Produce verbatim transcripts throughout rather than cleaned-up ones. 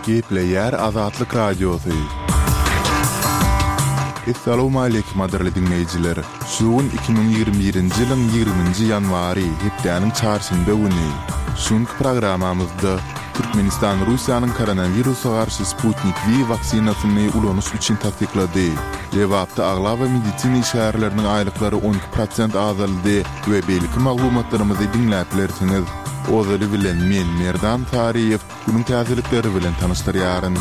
Gepleýär Azatlyk Radiosy. Essalawmaleýkim gadyrly diňleýjiler! Şu gün iki müň ýigrimi birinji ýylyň ýigriminji ýanwary, hepdäniň çarşenbe güni. Şu günki programmamyzda Türkmenistan Russiýanyň koronawirusa garşy Sputnik V waksinasyny ulanyş üçin tassyklady. Lebapda aglaba medisina işgärleriniň aýlyklary on iki prosent azaldy we beýleki maglumatlarymyzy diňläp bilersiňiz. Ozaly bilen men, Merdan Saryýew, günüň täzelikleri bilen tanyşdyrýaryn.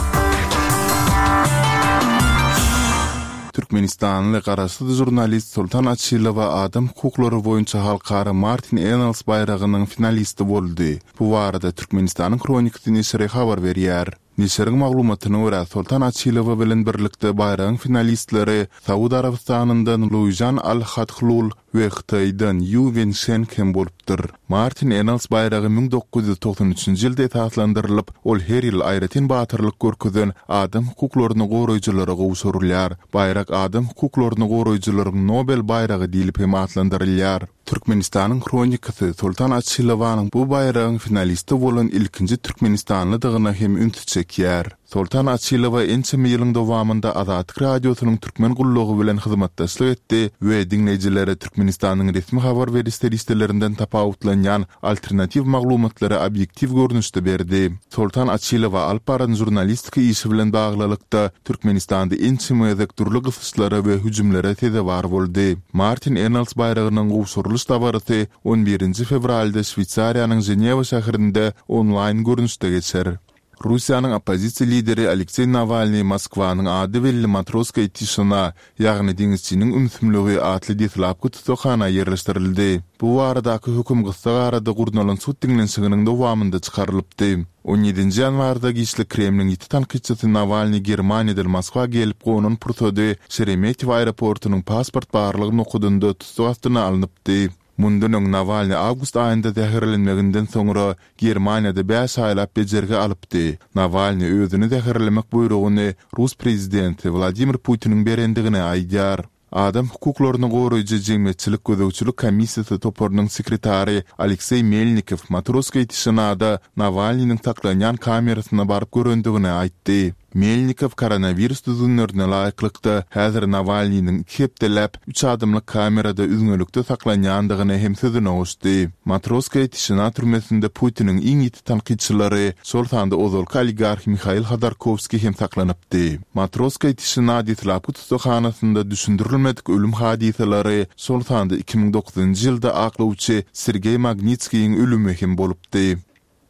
Türkmenistanly garaşsyz žurnalist Soltan Açylowa adam hukuklary boýunça halkara Martin Ennals baýragynyň finalisti boldy. Bu barada Türkmenistanyň Hronikasy neşiri habar berýär. Neşiriň maglumatyna görä, Soltan Açylowa bilen birlikde baýragyň finalistleri Saud Arabystanyndan Luýžan Al-Hathlul we Hytaýdan Ýu Wenşeng hem bolupdyr. Martin Ennals baýragy müň dokuz ýüz togsan üçünji ýylda esaslandyrylyp, ol her ýyl aýratyn batyrlyk görkezen adam hukuklaryny goraýjylara gowşurylýar. Baýrak adam hukuklaryny goraýjylaryň Nobel baýragy diýlip hem atlandyrylýar. Türkmenistanyň Hronikasy Soltan Açylowanyň bu baýragyň finalisti bolan ilkinji türkmenistanlydygyna hem ünsi çekýär. Soltan Açylowa ençeme ýylyň dowamynda Azatlyk Radiosynyň türkmen gullugy bilen hyzmatdaşlyk etdi we diňleýjilere Türkmenistanyň resmi habar beriş serişdelerinden tapawutlanýan alternatiw maglumatlary obýektiw görnüşde berdi. Soltan Açylowa alyp baran žurnalistika işi bilen baglylykda Türkmenistanda ençeme gezek dürli gysyşlara we hüjümlere sezewar boldy. Martin Ennals baýragynyň gowşurylyş dabarasy on birinji fewralda Şweýsariýanyň Ženewa şäherinde onlaýn görnüşde geçer. Russiýanyň oppozisiýa lideri Alekseý Nawalnyý Moskwanyň ady belli Matroskaýa tişina, ýagny deňizçiniň ümsümligi atly deslapky tussaghana ýerleşdirildi. Bu baradaky höküm gyssagarada gurnalan sud diňlenişiginiň dowamynda çykarylypdy. On ýedinji ýanwarda giçlik Kremliň ýiti tankytçysy Nawalnyý Germaniýadan Moskwa gelip gonan pursady Şeremetýewo aeroportunyň pasport barlag nokadynda tussag astyna alnypdy. Mundan öň Nawalnyý awgust aýynda zäherlenmeginden soňra Germaniýada bäş aýlap bejergi alypdy. Nawalnyý özüni zäherlemek buýrugyny rus prezidenti Wladimir Putiniň berendigini aýdýar. Adam hukuklaryny goraýjy jemgyýetçilik gözegçilik komissiýasy toparynyň sekretary Alekseý Melnikow Matroskaýa tişinada Nawalnynyň saklanýan kamerasyna baryp görendigini aýtdy. Melnikow koronawirus düzgünlerine laýyklykda, häzir Nawalnynyň iki hepdeläp, üç adamlyk kamerada üzňelikde saklanýandygyny hem sözüne goşdy. Matroskaýa tişina türmesinde Putiniň iň ýiti tankytçylary, şol sanda ozalky oligarh Mihail Hodorkowskiý hem saklanypdy. Matroskaýa tişina deslapky tussaghanasynda düşündirilmedik ölüm hadysalary, şol sanda iki müň dokuzynjy ýylda aklawçy Sergeý Magnitskiýiň ölümi hem bolupdy.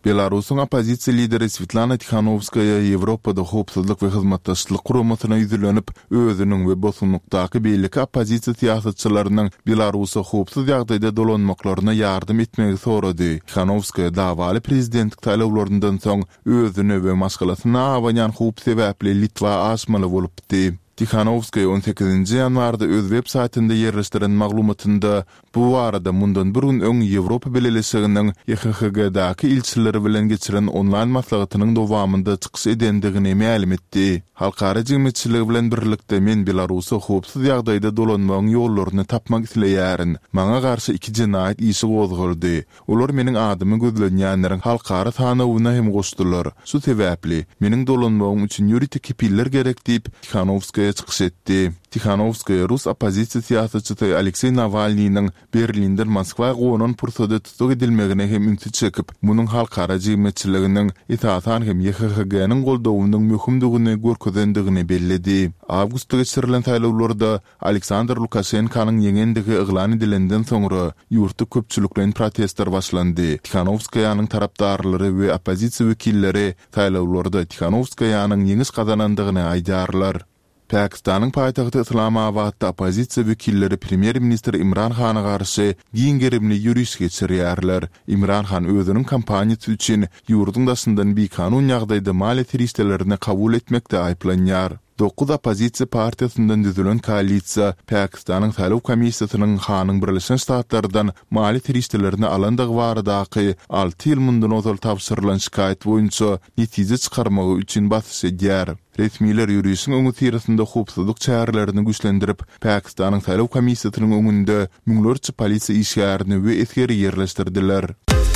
Belarusyň oppozisiýa lideri Swetlana Tihanowskaýa Ýewropada Howpsuzlyk we Hyzmatdaşlyk Guramasyna ýüzlenip, özüniň we bosgunlykdaky beýleki oppozisiýa syýasatçylarynyň Belarusa howpsuz ýagdaýda dolanmaklaryna ýardam etmegi sorady. Tihanowskaýa dawaly prezidentlik saýlawlaryndan soň özüne we maşgalasyna abanýan howp sebäpli Litwa aşmaly bolupdy. Tihanowskaýa on sekizinji ýanwarda öz web saýtynda ýerleşdiren maglumatynda bu barada mundan bir gün öň Ýewropa Bileleşiginiň Y H H G-daky ilçileri bilen geçiren onlaýn maslahatynyň dowamynda çykyş edendigini mälim etdi. Halkara jemgyýetçiligi bilen birlikde men Belarusa howpsuz ýagdaýda dolanmagyň ýollaryny tapmak isleýärin. Maňa garşy iki jenaýat işi gozgaldy. Olar meniň adymy gözlenýänleriň halkara sanawyna hem goşdular. Şu sebäpli, meniň dolanmagym üçin ýörite kepiller gerek diýip, Tihanowskaýa çykyş etdi. Tihanowskaýa rus oppozisiýa syýasatçysy Alekseý Nawalnynyň Berlinden Moskwa gonan pursady tussag edilmegine hem ünsi çekip, munuň halkara jemgyýetçiliginiň, esasan hem Y H H G-niň goldawynyň möhümdigini görkezendigini belledi. Awgustda geçirilen saýlawlarda Aleksandr Lukaşenkanyň ýeňendigi yglan edilenden soňra, ýurtda köpçülikleýin protestler başlandy. Tihanowskaýanyň tarapdarlary we oppozisiýa wekilleri saýlawlarda Tihanowskaýanyň ýeňiş gazanandygyny aýdýarlar. Pakistanyň paýtagty Yslamabatda oppozisiýa wekilleri premýer-ministr Imran Hana garşy giň gerimli ýöriş geçirýärler. Imran Han özüniň kampaniýasy üçin ýurduň daşyndan bikanun ýagdaýda maliýe serişdelerini kabul etmekde aýyplanýar. Dokuz oppozisiýa partiýasyndan düzülen koalisiýa Pakistanyň saýlaw komissiýasynyň Hanyň Birleşen Ştatlardan maliýe serişdelerini alandygy baradaky alty ýyl mundan ozal tabşyrylan şikaýat boýunça netije çykarmagy üçin basyş edýär. Resmiler ýörişiň öňüsyrasynda howpsuzlyk çärelerini güýçlendirip, Pakistanyň saýlaw komissiýasynyň öňünde müňlerçe polisiýa işgärini we esgeri ýerleşdirdiler.